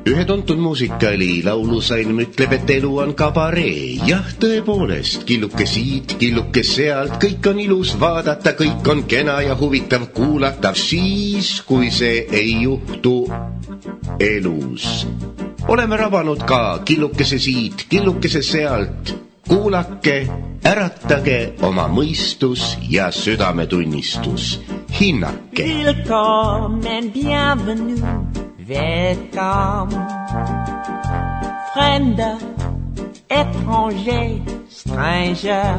Ühe tuntud muusikali laulusalm ütleb, et elu on kabaree. Jah, tõepoolest, killuke siit, killuke sealt, kõik on ilus vaadata, kõik on kena ja huvitav kuulatav siis, kui see ei juhtu elus. Oleme rabanud ka killukese siit, killukese sealt. Kuulake, äratage oma mõistus ja südametunnistus. Hinnake. Willkommen, bienvenue. Welcome, fremder, étranger, stranger.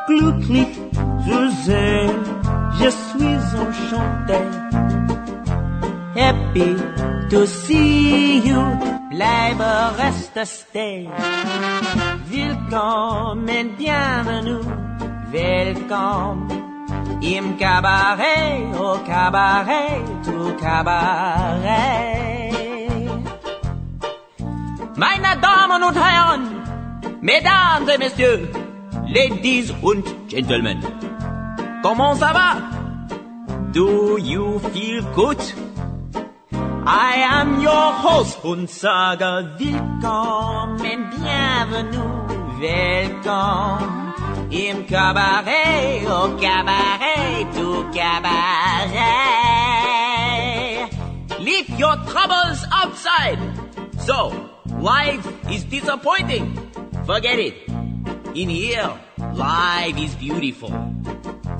Glücklich zu sehen, je suis enchanté. Happy to see you, bleibe, reste, stay. Willkommen, bienvenue, welcome. Im Cabaret, au Cabaret, tout Cabaret. Meine Damen und Herren, Mesdames et Messieurs, Ladies und Gentlemen, comment ça va? Do you feel good? I am your host und sage willkommen, bienvenue, welcome. Im Cabaret, au Cabaret, tout Cabaret. Leave your troubles outside. So, life is disappointing. Forget it. In here, life is beautiful.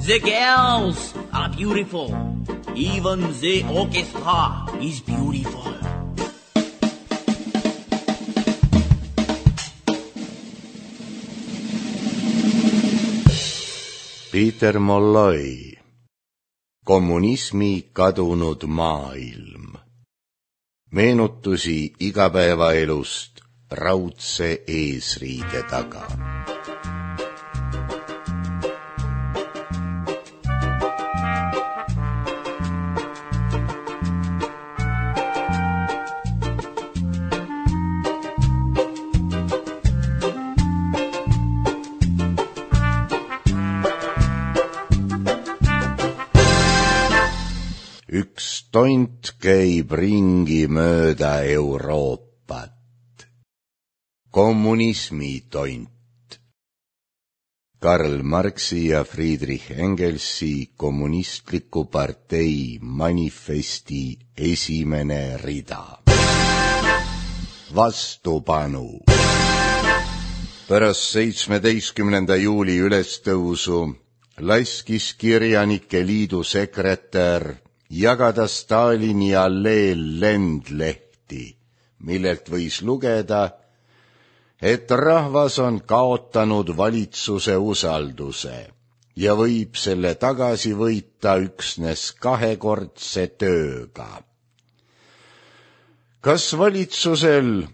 The girls are beautiful. Even the orchestra is beautiful. Peter Molloy, Kommunismi kadunud maailm. Meenutusi igapäevaelust raudse eesriide taga. Üks tont käib ringi mööda Euroopat. Kommunismi tont. Karl Marxi ja Friedrich Engelsi kommunistliku partei manifesti esimene rida. Vastupanu. Pärast 17. juuli ülestõusu laskis Kirjanike Liidu sekretär jagada Stalini alleel lendlehti, millelt võis lugeda, et rahvas on kaotanud valitsuse usalduse ja võib selle tagasi võita üksnes 2-kordse tööga. Kas valitsusel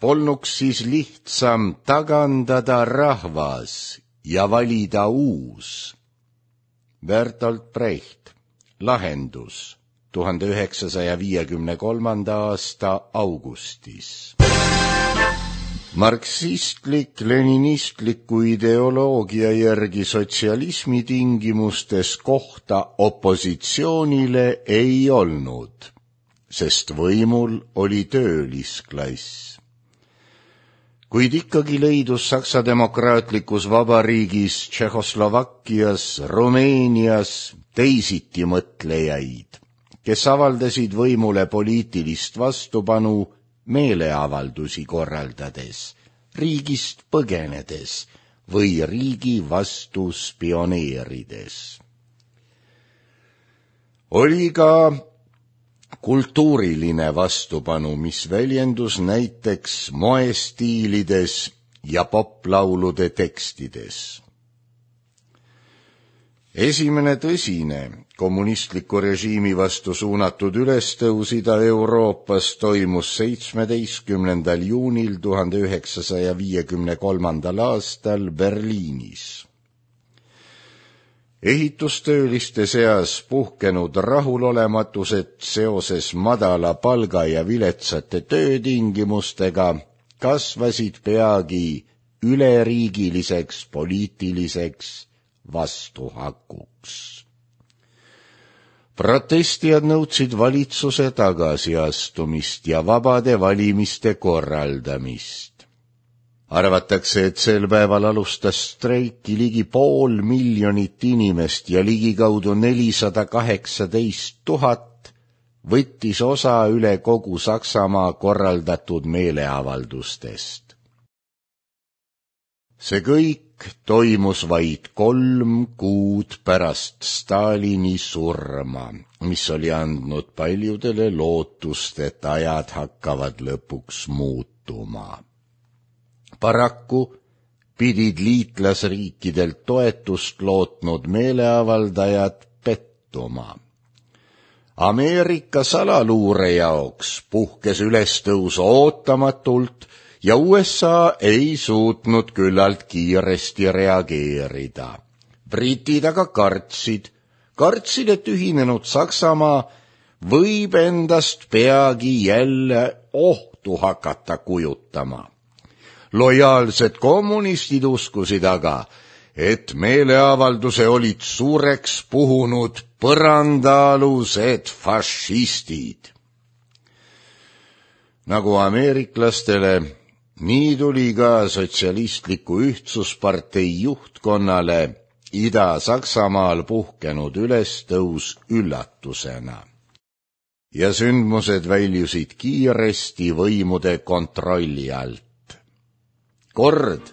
polnuks siis lihtsam tagandada rahvas ja valida uus? Bertolt Brecht. Lahendus 1953. aasta augustis. Marksistlik-leninistliku ideoloogia järgi sotsialismi tingimustes kohta opositsioonile ei olnud, sest võimul oli töölisklass. Kuid ikkagi leidus Saksa demokraatlikus vabariigis, Tšehhoslovakkias, Rumeenias teisiti mõtlejaid, kes avaldasid võimule poliitilist vastupanu meeleavaldusi korraldades, riigist põgenedes või riigi vastu spioneerides. Oli ka kultuuriline vastupanu, mis väljendus näiteks moestiilides ja poplaulude tekstides. Esimene tõsine kommunistliku režiimi vastu suunatud ülestõus Ida-Euroopas toimus 17. juunil 1953. aastal Berliinis. Ehitustööliste seas puhkenud rahulolematused seoses madala palga ja viletsate töötingimustega kasvasid peagi Protestijad nõudsid valitsuse tagasiastumist ja vabade valimiste korraldamist. Arvatakse, et sel päeval alustas streiki ligi 500 000 inimest ja ligikaudu 418 000 võttis osa üle kogu Saksamaa korraldatud meeleavaldustest. See kõik toimus vaid 3 kuud pärast Stalini surma, mis oli andnud paljudele lootust, et ajad hakkavad lõpuks muutuma. Paraku pidid liitlasriikidelt toetust lootnud meeleavaldajad pettuma. Ameerika salaluure jaoks puhkes ülestõus ootamatult ja USA ei suutnud küllalt kiiresti reageerida. Britid aga kartsid, et ühinenud Saksamaa võib endast peagi jälle ohtu hakata kujutama. Lojaalsed kommunistid uskusid aga, et meeleavalduse olid suureks puhunud põrandaalused fašistid. Nagu ameeriklastele, nii tuli ka sotsialistliku ühtsuspartei juhtkonnale Ida-Saksamaal puhkenud ülestõus üllatusena. Ja sündmused väljusid kiiresti võimude kontrolli alt. Kord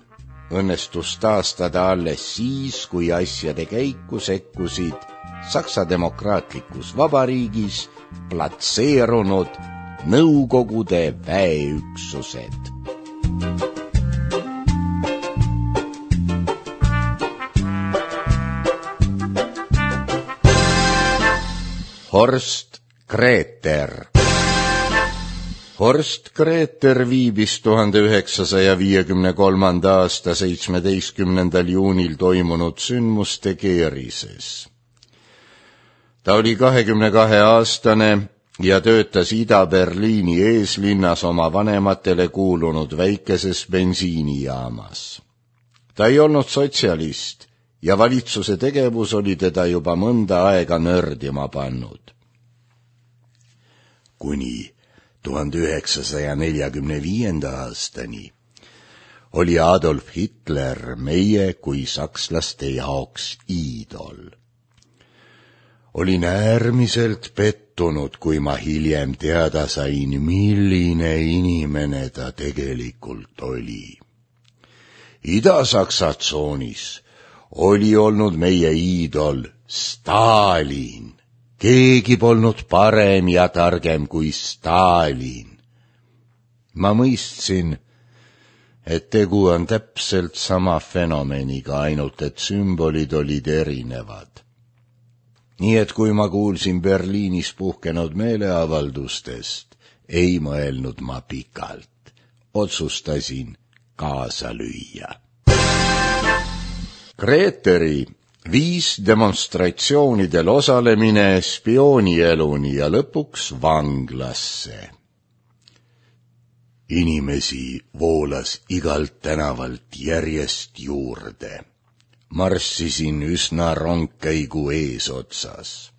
õnnestus taastada alles siis, kui asjade käiku sekkusid Saksa Demokraatlikus Vabariigis platseerunud Nõukogude väeüksused. Horst Gräter. Horst Gräter viibis 1953. aasta 17. juunil toimunud sündmuste keerises. Ta oli 22-aastane ja töötas Ida-Berliini eeslinnas oma vanematele kuulunud väikeses bensiinijaamas. Ta ei olnud sotsialist ja valitsuse tegevus oli teda juba mõnda aega nördima pannud. Kuni 1945. aastani oli Adolf Hitler meie kui sakslaste jaoks iidol. Olin äärmiselt pettunud, kui ma hiljem teada sain, milline inimene ta tegelikult oli. Ida-Saksa tsoonis oli olnud meie iidol Stalin. Keegi polnud parem ja targem kui Stalin. Ma mõistsin, et tegu on täpselt sama fenomeniga, ainult et sümbolid olid erinevad. Nii et kui ma kuulsin Berliinis puhkenud meeleavaldustest, ei mõelnud ma pikalt. Otsustasin kaasa lüüa. Gräteri viis demonstratsioonidel osalemine spioonieluni ja lõpuks vanglasse. Inimesi voolas igalt tänavalt järjest juurde. Marssisin üsna rongkäigu eesotsas.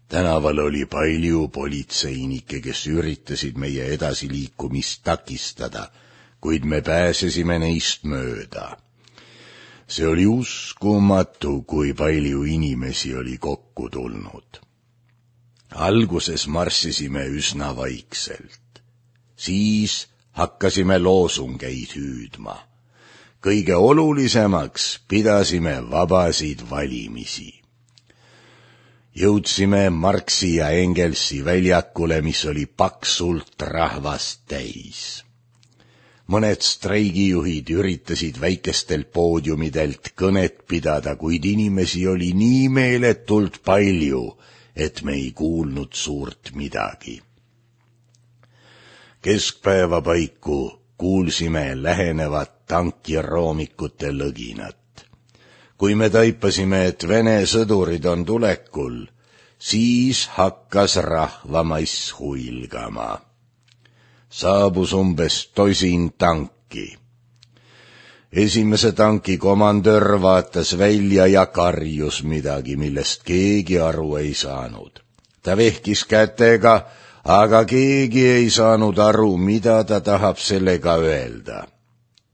Tänaval oli palju politseinikke, kes üritasid meie edasiliikumist takistada, kuid me pääsesime neist mööda. See oli uskumatu, kui palju inimesi oli kokku tulnud. Alguses marssisime üsna vaikselt. Siis hakkasime loosungeid hüüdma. Kõige olulisemaks pidasime vabasid valimisi. Jõudsime Marxi ja Engelsi väljakule, mis oli paksult rahvast täis. Mõned streigijuhid üritasid väikestelt poodiumidelt kõnet pidada, kuid inimesi oli nii meeletult palju, et me ei kuulnud suurt midagi. Keskpäeva paiku kuulsime lähenevat tankiroomikute lõginat. Kui me taipasime, et Vene sõdurid on tulekul, siis hakkas rahvamass huilgama. Saabus umbes 10 tanki. Esimese tanki komandör vaatas välja ja karjus midagi, millest keegi aru ei saanud. Ta vehkis kätega, aga keegi ei saanud aru, mida ta tahab sellega öelda.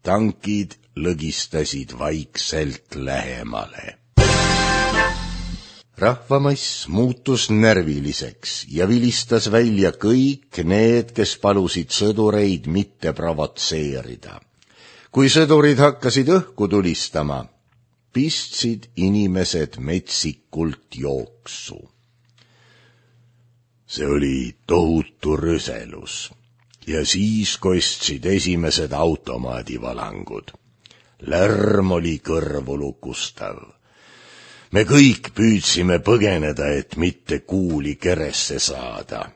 Tankid lõgistasid vaikselt lähemale. Rahvamass muutus närviliseks ja vilistas välja kõik need, kes palusid sõdureid mitte provotseerida. Kui sõdurid hakkasid õhku tulistama, pistsid inimesed metsikult jooksu. See oli tohutu rüselus ja siis kostsid esimesed automaadivalangud. Lärm oli kõrvulukustav. Me kõik püüdsime põgeneda, et mitte kuuli keresse saada.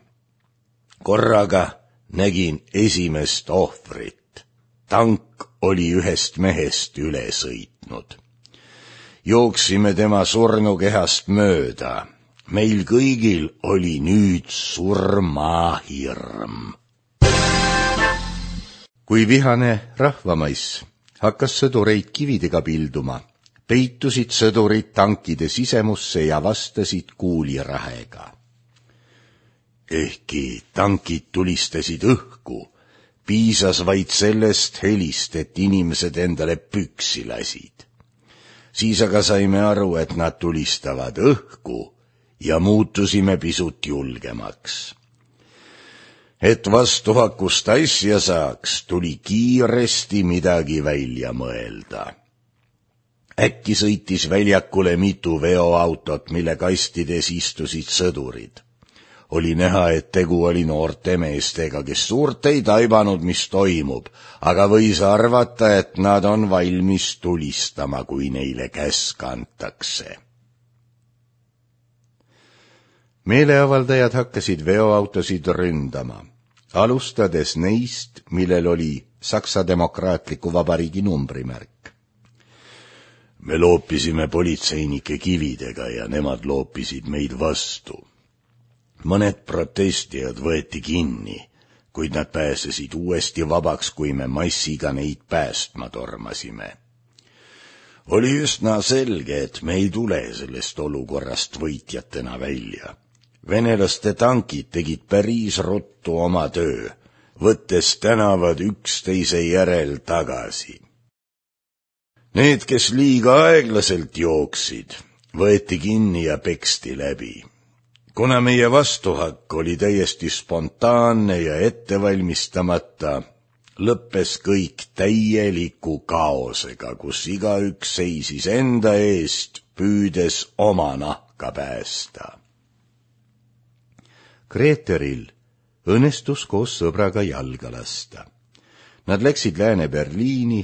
Korraga nägin esimest ohvrit. Tank oli ühest mehest üle sõitnud. Jooksime tema surnukehast mööda. Meil kõigil oli nüüd surmahirm. Kui vihane rahvamaiss hakkas sõdureid kividega pilduma, peitusid sõdurid tankide sisemusse ja vastasid kuulirahega. Ehkki tankid tulistasid õhku, piisas vaid sellest helist, et inimesed endale püksi lasid. Siis aga saime aru, et nad tulistavad õhku ja muutusime pisut julgemaks. Et vastuhakust asja saaks, tuli kiiresti midagi välja mõelda. Äkki sõitis väljakule mitu veoautot, mille kastides istusid sõdurid. Oli näha, et tegu oli noorte meestega, kes suurt ei taibanud, mis toimub, aga võis arvata, et nad on valmis tulistama, kui neile käsk antakse. Meeleavaldajad hakkasid veoautosid ründama, alustades neist, millel oli Saksa Demokraatliku Vabariigi numbrimärk. Me loopisime politseinike kividega ja nemad loopisid meid vastu. Mõned protestijad võeti kinni, kuid nad pääsesid uuesti vabaks, kui me massiga neid päästma tormasime. Oli üsna selge, et me ei tule sellest olukorrast võitjatena välja. Venelaste tankid tegid päris ruttu oma töö, võttes tänavad üksteise järel tagasi. Need, kes liiga aeglaselt jooksid, võeti kinni ja peksti läbi. Kuna meie vastuhakk oli täiesti spontaanne ja ettevalmistamata, lõppes kõik täieliku kaosega, kus igaüks seisis enda eest, püüdes oma nahka päästa. Greteril õnnestus koos sõbraga jalga lasta. Nad läksid Lääne-Berliini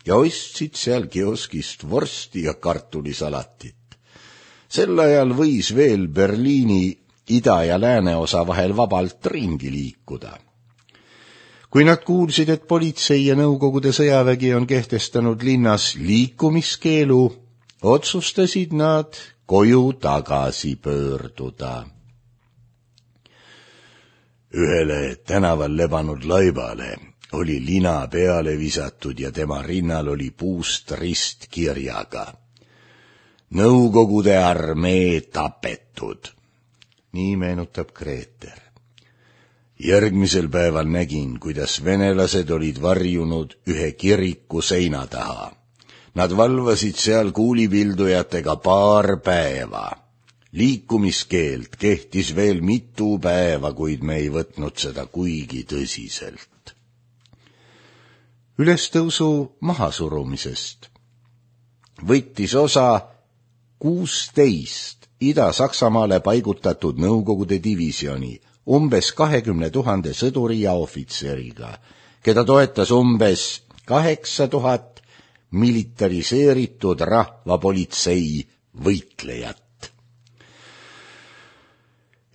ja ostsid seal kioskist vorsti ja kartulisalatit. Sel ajal võis veel Berliini ida- ja lääneosa vahel vabalt ringi liikuda. Kui nad kuulsid, et politsei ja Nõukogude sõjavägi on kehtestanud linnas liikumiskeelu, otsustasid nad koju tagasi pöörduda. Ühele tänaval lebanud laibale oli lina peale visatud ja tema rinnal oli puust rist kirjaga: Nõukogude armee tapetud. Nii meenutab Greter. Järgmisel päeval nägin, kuidas venelased olid varjunud ühe kiriku seina taha. Nad valvasid seal kuulipildujatega paar päeva. Liikumiskeeld kehtis veel mitu päeva, kuid me ei võtnud seda kuigi tõsiselt. Ülestõusu mahasurumisest võttis osa 16 Ida-Saksamaale paigutatud Nõukogude divisjoni umbes 20 000 sõduri ja ohvitseriga, keda toetas umbes 8000 militariseeritud rahvapolitsei võitlejat.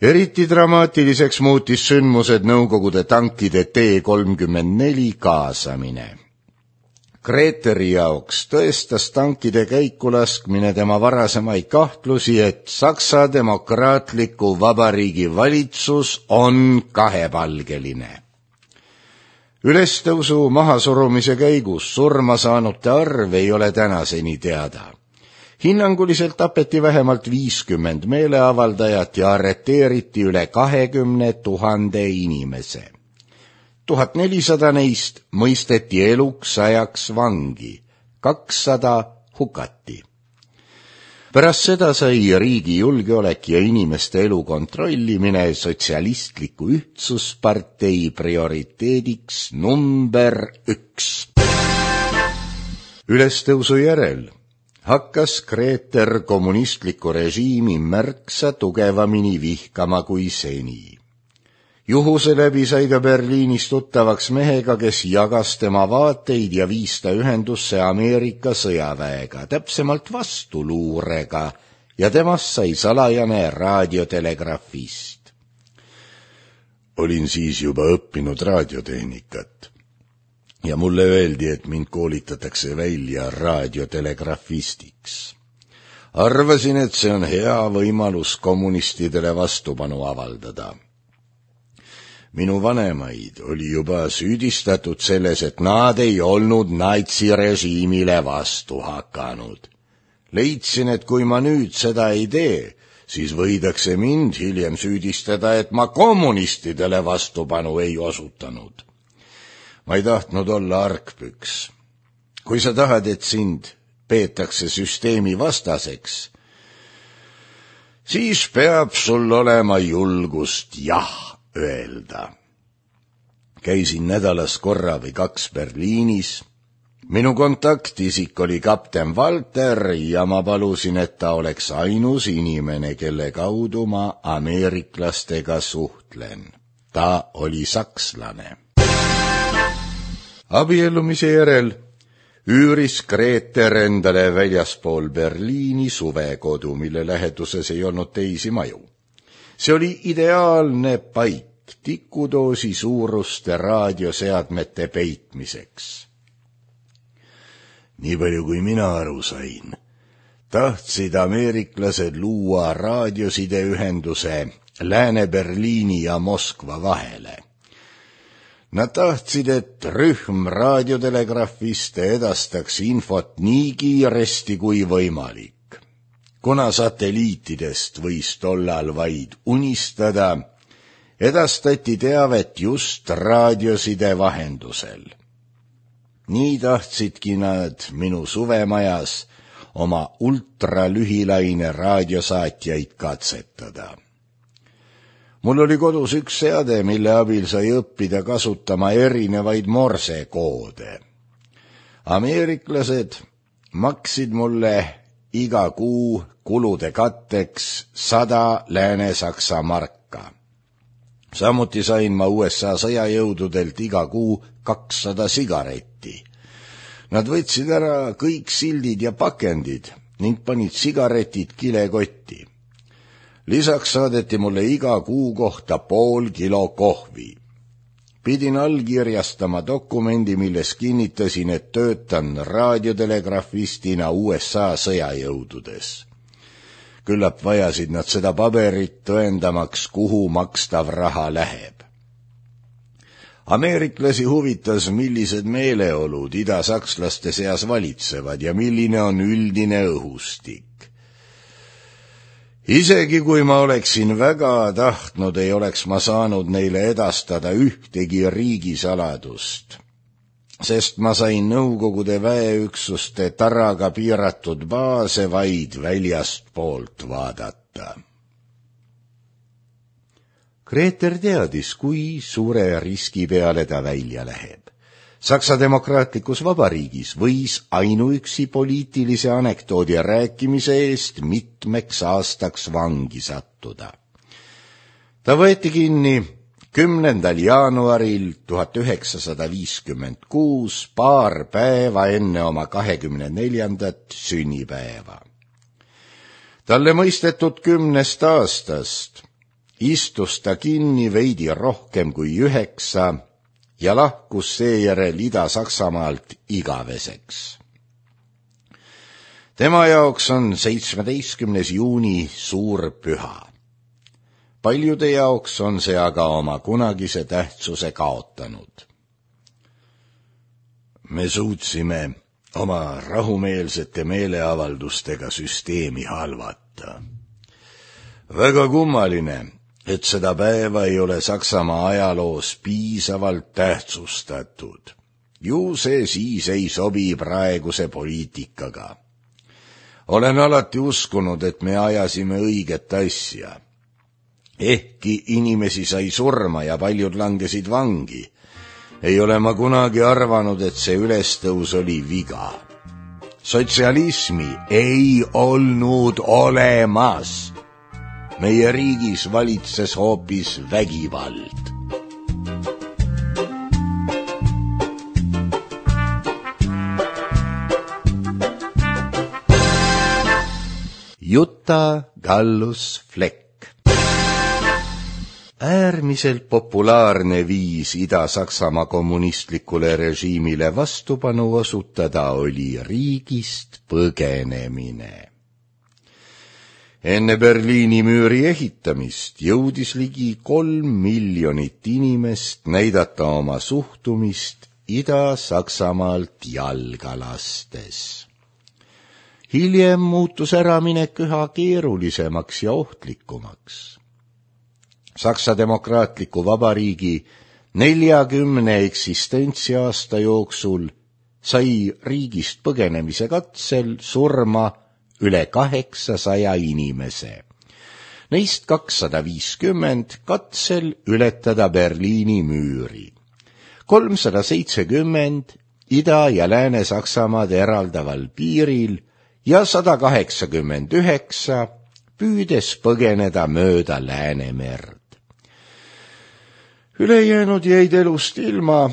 Eriti dramaatiliseks muutis sündmused Nõukogude tankide T-34 kaasamine. Greteri jaoks tõestas tankide käikulaskmine tema varasemaid kahtlusi, et Saksa Demokraatliku Vabariigi valitsus on kahepalgeline. Ülestõusu mahasurumise käigus surma saanute arv ei ole tänaseni teada. Hinnanguliselt tapeti vähemalt 50 meeleavaldajat ja arreteeriti üle 20 000 inimese. 1400 neist mõisteti eluks ajaks vangi, 200 hukati. Pärast seda sai riigi julgeolek ja inimeste elu kontrollimine sotsialistliku ühtsuspartei prioriteediks number 1. Ülestõusu järel hakkas Kreeter kommunistliku režiimi märksa tugevamini vihkama kui seni. Juhuse läbi sai ta Berliinis tuttavaks mehega, kes jagas tema vaateid ja viis ta ühendusse Ameerika sõjaväega, täpsemalt vastuluurega, ja temast sai salajane raadiotelegrafist. Olin siis juba õppinud raadiotehnikat ja mulle öeldi, et mind koolitatakse välja raadiotelegrafistiks. Arvasin, et see on hea võimalus kommunistidele vastupanu avaldada. Minu vanemaid oli juba süüdistatud selles, et nad ei olnud natsirežiimile vastu hakanud. Leidsin, et kui ma nüüd seda ei tee, siis võidakse mind hiljem süüdistada, et ma kommunistidele vastupanu ei osutanud. Ma ei tahtnud olla argpüks. Kui sa tahad, et sind peetakse süsteemi vastaseks, siis peab sul olema julgust jah öelda. Käisin nädalas korra või 2 Berliinis. Minu kontaktisik oli kapten Walter ja ma palusin, et ta oleks ainus inimene, kelle kaudu ma ameeriklastega suhtlen. Ta oli sakslane. Abiellumise järel üüris Kreeter endale väljaspool Berliini suvekodu, mille läheduses ei olnud teisi maju. See oli ideaalne paik tikudoosi suuruste raadioseadmete peitmiseks. Nii palju kui mina aru sain, tahtsid ameeriklased luua raadiosideühenduse Lääne-Berliini ja Moskva vahele. Nad tahtsid, et rühm raadiotelegrafiste edastaks infot nii kiiresti kui võimalik. Kuna satelliitidest võis tollal vaid unistada, edastati teavet just raadioside vahendusel. Nii tahtsidki nad minu suvemajas oma ultralühilaine raadiosaatjaid katsetada. Mul oli kodus üks seade, mille abil sai õppida kasutama erinevaid morsekoode. Ameeriklased maksid mulle iga kuu kulude katteks 100 Lääne-Saksa marka. Samuti sain ma USA sõjajõududelt iga kuu 200 sigaretti. Nad võtsid ära kõik sildid ja pakendid ning panid sigaretid kilekotti. Lisaks saadeti mulle iga kuu kohta pool kilo kohvi. Pidin allkirjastama dokumendi, milles kinnitasin, et töötan raadiotelegrafistina USA sõjajõududes. Küllap vajasid nad seda paberit tõendamaks, kuhu makstav raha läheb. Ameeriklasi huvitas, millised meeleolud idasakslaste seas valitsevad ja milline on üldine õhustik. Isegi kui ma oleksin väga tahtnud, ei oleks ma saanud neile edastada ühtegi riigisaladust, sest ma sain Nõukogude väeüksuste taraga piiratud baase vaid väljastpoolt vaadata. Kreeter teadis, kui suure riski peale ta välja läheb. Saksa demokraatlikus vabariigis võis ainuüksi poliitilise anekdoodi rääkimise eest mitmeks aastaks vangi sattuda. Ta võeti kinni 10. jaanuaril 1956, paar päeva enne oma 24. sünnipäeva. Talle mõistetud 10 aastast istus ta kinni veidi rohkem kui 9 ja lahkus seejärel Ida-Saksamaalt igaveseks. Tema jaoks on 17. juuni suur püha. Paljude jaoks on see aga oma kunagise tähtsuse kaotanud. Me suutsime oma rahumeelsete meeleavaldustega süsteemi halvata. Väga kummaline, et seda päeva ei ole Saksamaa ajaloos piisavalt tähtsustatud. Ju see siis ei sobi praeguse poliitikaga. Olen alati uskunud, et me ajasime õiget asja. Ehkki inimesi sai surma ja paljud langesid vangi, ei ole ma kunagi arvanud, et see ülestõus oli viga. Sotsialismi ei olnud olemas. Meie riigis valitses hoopis vägivald. Jutta Gallus-Fleck. Äärmiselt populaarne viis Ida-Saksamaa kommunistlikule režiimile vastupanu osutada oli riigist põgenemine. Enne Berliini müüri ehitamist jõudis ligi 3 miljonit inimest näidata oma suhtumist Ida-Saksamaalt jalga lastes. Hiljem muutus äraminek üha keerulisemaks ja ohtlikumaks. Saksa Demokraatliku Vabariigi 40 eksistentsiaasta jooksul sai riigist põgenemise katsel surma üle 800 inimese. Neist 250 katsel ületada Berliini müüri. 370 Ida- ja Lääne-Saksamaad eraldaval piiril ja 189 püüdes põgeneda mööda Läänemerd. Ülejäänud jäid elust ilma,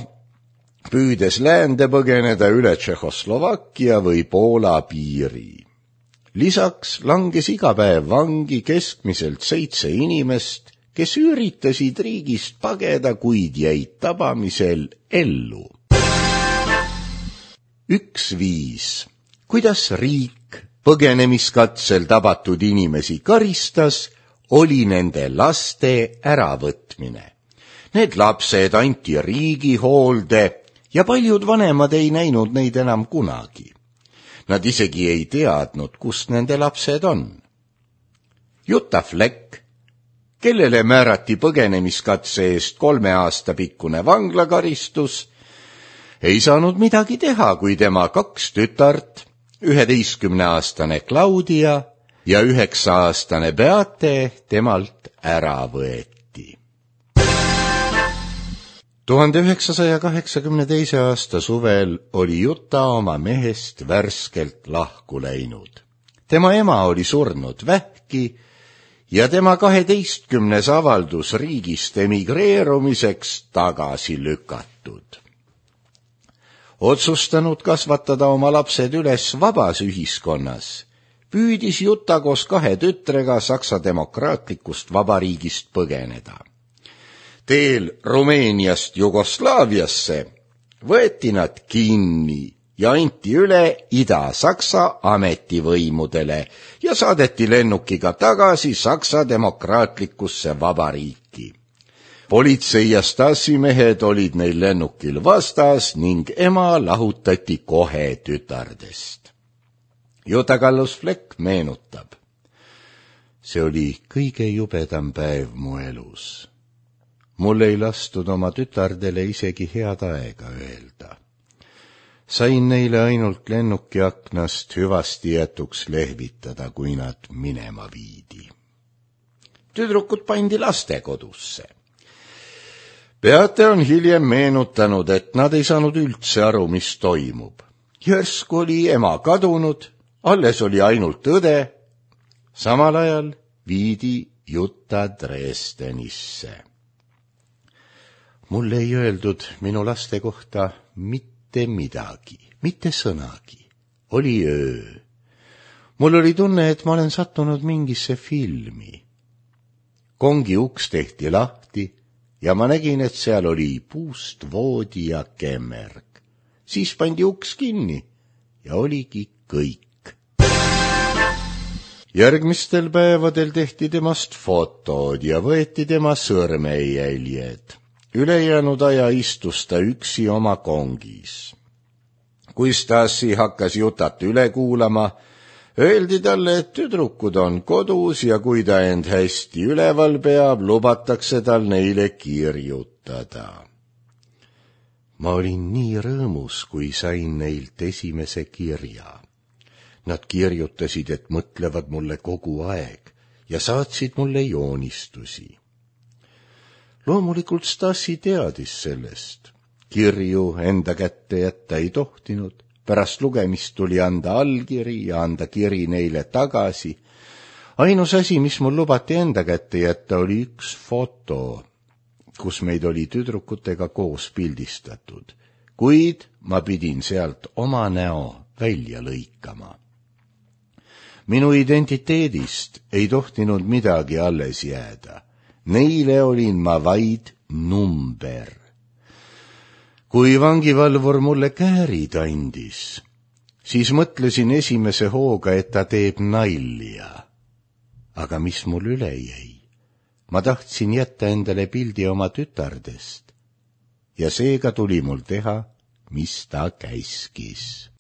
püüdes läände põgeneda üle Tšehhoslovakkia või Poola piiri. Lisaks langes iga päev vangi keskmiselt 7 inimest, kes üritasid riigist pageda, kuid jäid tabamisel ellu. Üks viis, kuidas riik põgenemiskatsel tabatud inimesi karistas, oli nende laste äravõtmine. Need lapsed anti riigi hoolde ja paljud vanemad ei näinud neid enam kunagi. Nad isegi ei teadnud, kus nende lapsed on. Jutta Fleck, kellele määrati põgenemiskatse eest 3 aasta pikkune vanglakaristus, ei saanud midagi teha, kui tema 2 tütart, 11-aastane Claudia ja 9-aastane Beate temalt ära võeti. 1982. aasta suvel oli Jutta oma mehest värskelt lahku läinud. Tema ema oli surnud vähki ja tema 12. avaldus riigist emigreerumiseks tagasi lükatud. Otsustanud kasvatada oma lapsed üles vabas ühiskonnas, püüdis Jutta koos 2 tütrega Saksa Demokraatlikust Vabariigist põgeneda. Teel Rumeeniast Jugoslaaviasse võeti nad kinni ja anti üle Ida-Saksa ametivõimudele ja saadeti lennukiga tagasi Saksa Demokraatlikusse Vabariiki. Politsei ja Stasi-mehed olid neil lennukil vastas ning ema lahutati kohe tütardest. Jutta Gallus-Fleck meenutab. See oli kõige jubedam päev mu elus. Mul ei lastud oma tütardele isegi head aega öelda. Sain neile ainult lennuki aknast hüvasti jätuks lehvitada, kui nad minema viidi. Tüdrukud pandi lastekodusse. Beate on hiljem meenutanud, et nad ei saanud üldse aru, mis toimub. Järsku oli ema kadunud, alles oli ainult õde. Samal ajal viidi Jutta Dresdenisse. Mulle ei öeldud minu laste kohta mitte midagi, mitte sõnagi. Oli öö. Mul oli tunne, et ma olen sattunud mingisse filmi. Kongi uks tehti lahti ja ma nägin, et seal oli puust voodi ja kemmerg. Siis pandi uks kinni ja oligi kõik. Järgmistel päevadel tehti temast fotod ja võeti tema sõrmejäljed. Ülejäänud aja istus ta üksi oma kongis. kui Stassi hakkas jutat üle kuulama, öeldi talle, et tüdrukud on kodus ja kui ta end hästi üleval peab, lubatakse tal neile kirjutada. Ma olin nii rõõmus, kui sain neilt esimese kirja. Nad kirjutasid, et mõtlevad mulle kogu aeg ja saatsid mulle joonistusi. Loomulikult Stassi teadis sellest. Kirju enda kätte jätta ei tohtinud. Pärast lugemist tuli anda allkiri ja anda kiri neile tagasi. Ainus asi, mis mul lubati enda kätte jätta, oli üks foto, kus meid oli tüdrukutega koos pildistatud, kuid ma pidin sealt oma näo välja lõikama. Minu identiteedist ei tohtinud midagi alles jääda. Neile olin ma vaid number. Kui vangivalvur mulle käärid andis, siis mõtlesin esimese hooga, et ta teeb nalja. Aga mis mul üle jäi? Ma tahtsin jätta endale pildi oma tütardest ja seega tuli mul teha, mis ta käskis.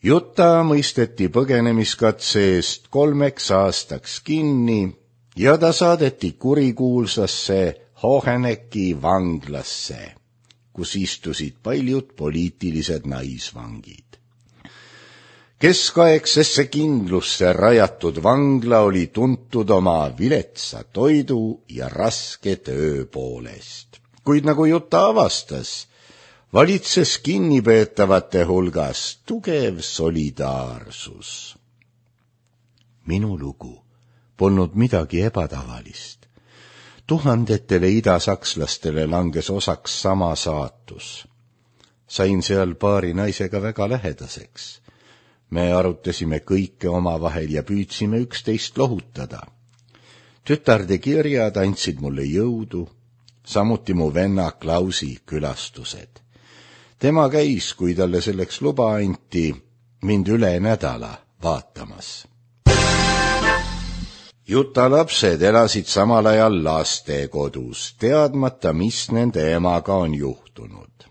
Jutta mõisteti põgenemiskatse eest 3 aastaks kinni ja ta saadeti kurikuulsasse Hohenecki vanglasse, kus istusid paljud poliitilised naisvangid. Keskaegsesse kindlusse rajatud vangla oli tuntud oma viletsa toidu ja raske töö poolest. Kuid nagu Jutta avastas, valitses kinnipeetavate hulgas tugev solidaarsus. Minu lugu polnud midagi ebatavalist. Tuhandetele idasakslastele langes osaks sama saatus. Sain seal paari naisega väga lähedaseks. Me arutasime kõike omavahel ja püüdsime üksteist lohutada. Tütarde kirjad andsid mulle jõudu, samuti mu venna Klausi külastused. Tema käis, kui talle selleks luba anti, mind üle nädala vaatamas. Jutta lapsed elasid samal ajal lastekodus, teadmata, mis nende emaga on juhtunud.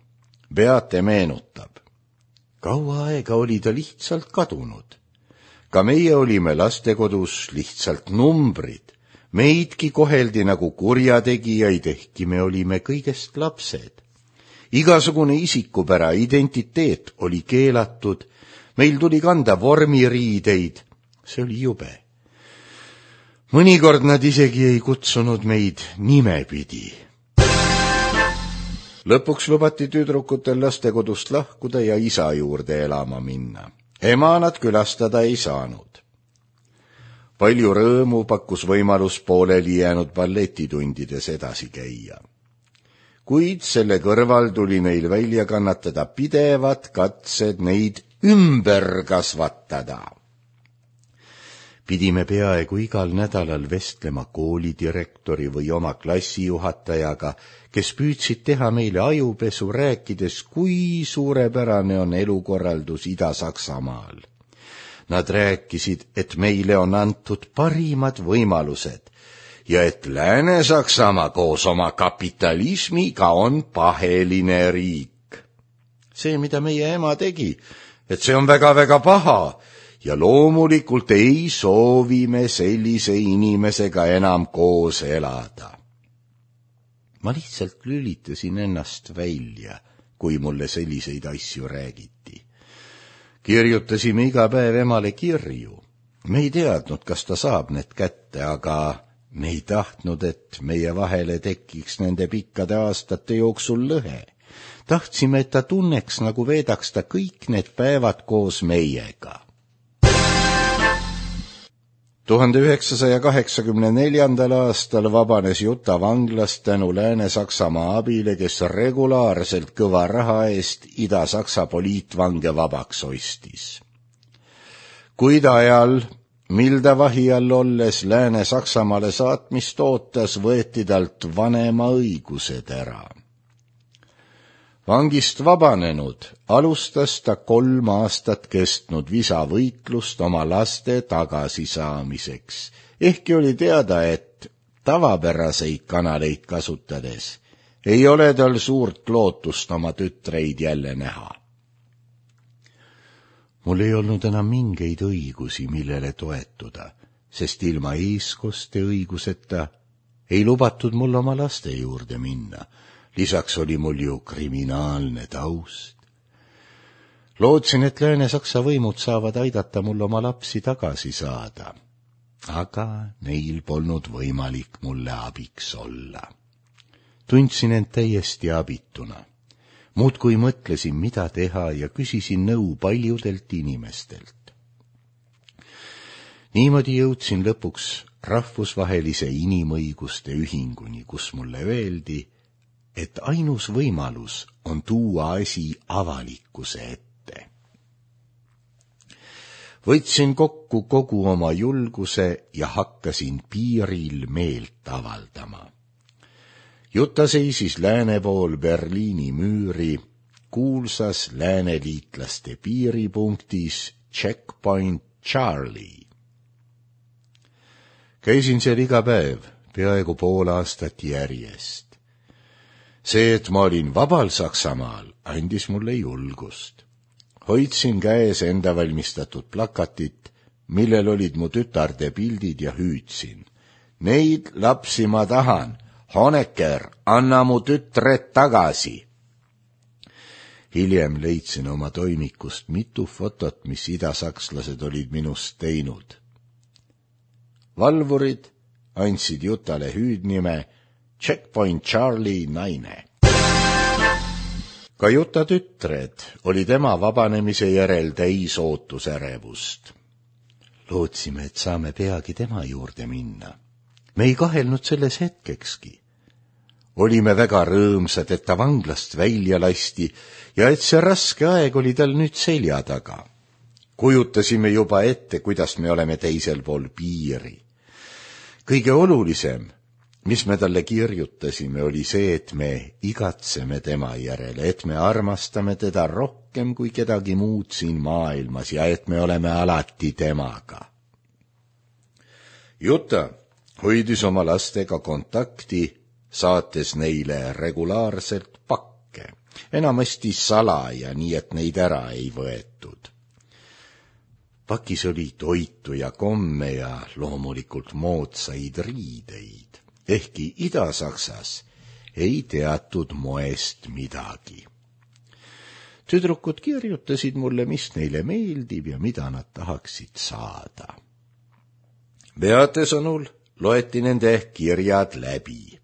Beate meenutab. Kaua aega oli ta lihtsalt kadunud. Ka meie olime lastekodus lihtsalt numbrid. Meidki koheldi nagu kurjategijaid, ehkki me olime kõigest lapsed. Igasugune isikupära, identiteet oli keelatud. Meil tuli kanda vormiriideid. See oli jube. Mõnikord nad isegi ei kutsunud meid nimepidi. Lõpuks lubati tüdrukutel lastekodust lahkuda ja isa juurde elama minna. Ema nad külastada ei saanud. Palju rõõmu pakkus võimalus pooleli jäänud balletitundides edasi käia. Kuid selle kõrval tuli neil välja kannatada pidevad katsed neid ümber kasvatada. Pidime peaaegu igal nädalal vestlema koolidirektori või oma klassijuhatajaga, kes püüdsid teha meile ajupesu, rääkides, kui suurepärane on elukorraldus Ida-Saksamaal. Nad rääkisid, et meile on antud parimad võimalused ja et Lääne-Saksamaa koos oma kapitalismiga on paheline riik. See, mida meie ema tegi, et see on väga-väga paha, ja loomulikult ei soovi me sellise inimesega enam koos elada. Ma lihtsalt lülitasin ennast välja, kui mulle selliseid asju räägiti. Kirjutasime iga päev emale kirju. Me ei teadnud, kas ta saab need kätte, aga me ei tahtnud, et meie vahele tekiks nende pikkade aastate jooksul lõhe. Tahtsime, et ta tunneks, nagu veedaks ta kõik need päevad koos meiega. 1984. aastal vabanes Jutta vanglast tänu Lääne-Saksamaa abile, kes regulaarselt kõva raha eest Ida-Saksa poliitvange vabaks ostis. Kuid ajal, mil ta vahi all olles Lääne-Saksamaale saatmist ootas, võeti talt vanema õigused ära. Vangist vabanenud alustas ta 3 aastat kestnud visavõitlust oma laste tagasisaamiseks, ehkki oli teada, et tavapäraseid kanaleid kasutades ei ole tal suurt lootust oma tütreid jälle näha. mul ei olnud enam mingeid õigusi, millele toetuda, sest ilma eeskoste õiguseta ei lubatud mul oma laste juurde minna. Lisaks oli mul ju kriminaalne taust. Lootsin, et Lääne-Saksa võimud saavad aidata mul oma lapsi tagasi saada, aga neil polnud võimalik mulle abiks olla. Tundsin end täiesti abituna. Muudkui mõtlesin, mida teha ja küsisin nõu paljudelt inimestelt. Niimoodi jõudsin lõpuks rahvusvahelise inimõiguste ühinguni, kus mulle öeldi, et ainus võimalus on tuua asi avalikkuse ette. Võtsin kokku kogu oma julguse ja hakkasin piiril meelt avaldama. Juta seisis lääne pool Berliini müüri, kuulsas lääneliitlaste piiripunktis Checkpoint Charlie. Käisin seal iga päev, peaaegu pool aastat järjest. See, et ma olin vabal Saksamaal, andis mulle julgust. Hoidsin käes enda valmistatud plakatit, millel olid mu tütarde pildid ja hüüdsin. Neid lapsi ma tahan. Honecker, anna mu tütred tagasi. Hiljem leidsin oma toimikust mitu fotot, mis idasakslased olid minust teinud. Valvurid andsid Jutale hüüdnime Checkpoint Charlie naine. Ka Juta tütred oli tema vabanemise järel täis ootusärevust. Lootsime, et saame peagi tema juurde minna. Me ei kahelnud selles hetkekski. Olime väga rõõmsad, et ta vanglast välja lasti ja et see raske aeg oli tal nüüd selja taga. Kujutasime juba ette, kuidas me oleme teisel pool piiri. Kõige olulisem, mis me talle kirjutasime, oli see, et me igatseme tema järele, et me armastame teda rohkem kui kedagi muud siin maailmas ja et me oleme alati temaga. Juta hoidis oma lastega kontakti, saates neile regulaarselt pakke, enamasti salaja, nii et neid ära ei võetud. Pakis oli toitu ja komme ja loomulikult moodsaid riideid, ehkki Ida-Saksas ei teatud moest midagi. Tüdrukud kirjutasid mulle, mis neile meeldib ja mida nad tahaksid saada. Beate sõnul loeti nende kirjad läbi.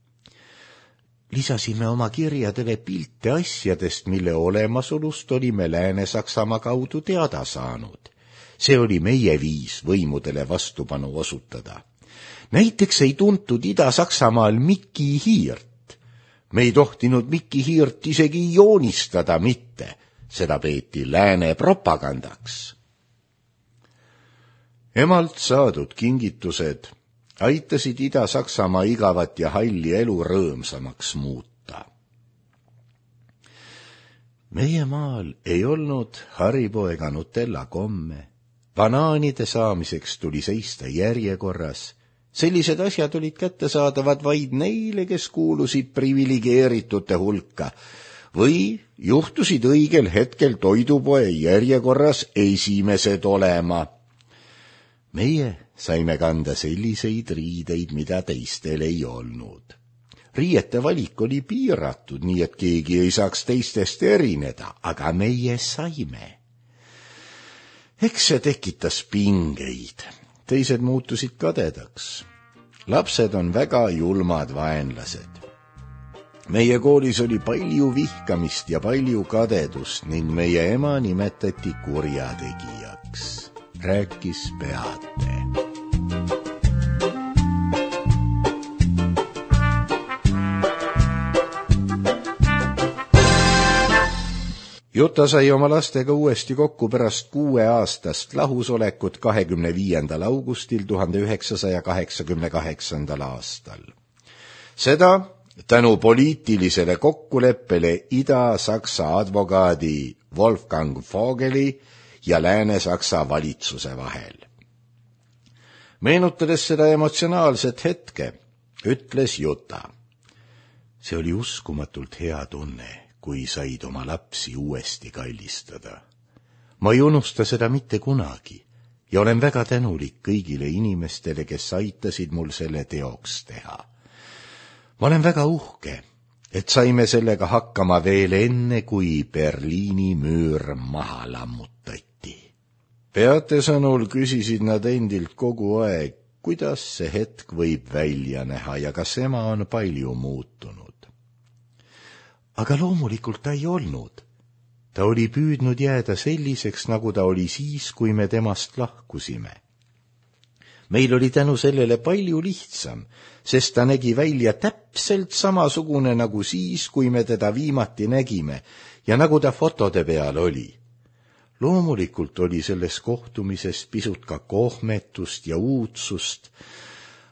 Lisasime oma kirjadele pilte asjadest, mille olemasolust olime Lääne-Saksamaa kaudu teada saanud. See oli meie viis võimudele vastupanu osutada. Näiteks ei tuntud Ida-Saksamaal Mikki hiirt. Me ei tohtinud Mikki hiirt isegi joonistada mitte. Seda peeti lääne propagandaks. Emalt saadud kingitused aitasid Ida-Saksamaa igavat ja halli elu rõõmsamaks muuta. Meie maal ei olnud Haribo ega Nutella komme. Banaanide saamiseks tuli seista järjekorras. Sellised asjad olid kättesaadavad vaid neile, kes kuulusid privilegeeritute hulka või juhtusid õigel hetkel toidupoe järjekorras esimesed olema. Meie saime kanda selliseid riideid, mida teistel ei olnud. Riiete valik oli piiratud, nii et keegi ei saaks teistest erineda, aga meie saime. Eks see tekitas pingeid. Teised muutusid kadedaks. Lapsed on väga julmad vaenlased. Meie koolis oli palju vihkamist ja palju kadedust ning meie ema nimetati kurjategijaks, rääkis Beate. Juta sai oma lastega uuesti kokku pärast 6 aastast lahusolekut 25. augustil 1988. aastal. Seda tänu poliitilisele kokkuleppele Ida-Saksa advokaadi Wolfgang Vogeli ja Lääne-Saksa valitsuse vahel. Meenutades seda emotsionaalset hetke, ütles Juta. See oli uskumatult hea tunne, kui said oma lapsi uuesti kallistada. ma ei unusta seda mitte kunagi ja olen väga tänulik kõigile inimestele, kes aitasid mul selle teoks teha. ma olen väga uhke, et saime sellega hakkama veel enne, kui Berliini müür maha lammutati. Beate sõnul küsisid nad endilt kogu aeg, kuidas see hetk võib välja näha ja kas ema on palju muutunud. Aga loomulikult ta ei olnud. Ta oli püüdnud jääda selliseks, nagu ta oli siis, kui me temast lahkusime. Meil oli tänu sellele palju lihtsam, sest ta nägi välja täpselt samasugune nagu siis, kui me teda viimati nägime ja nagu ta fotode peal oli. Loomulikult oli selles kohtumises pisut ka kohmetust ja uudsust,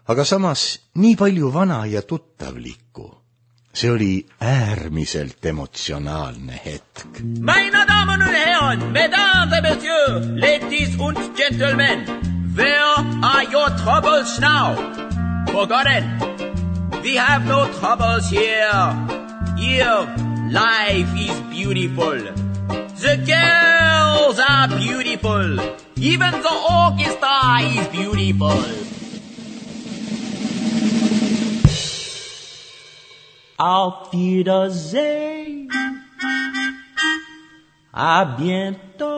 aga samas nii palju vana ja tuttavlikku. See oli äärmiselt emotsionaalne hetk. Meine Damen und Herren, Mesdames et Messieurs, Ladies und Gentlemen, where are your troubles now? Forgotten. We have no troubles here. Here, life is beautiful. The girls are beautiful. Even the orchestra is beautiful. Auf Wiedersehen. À bientôt.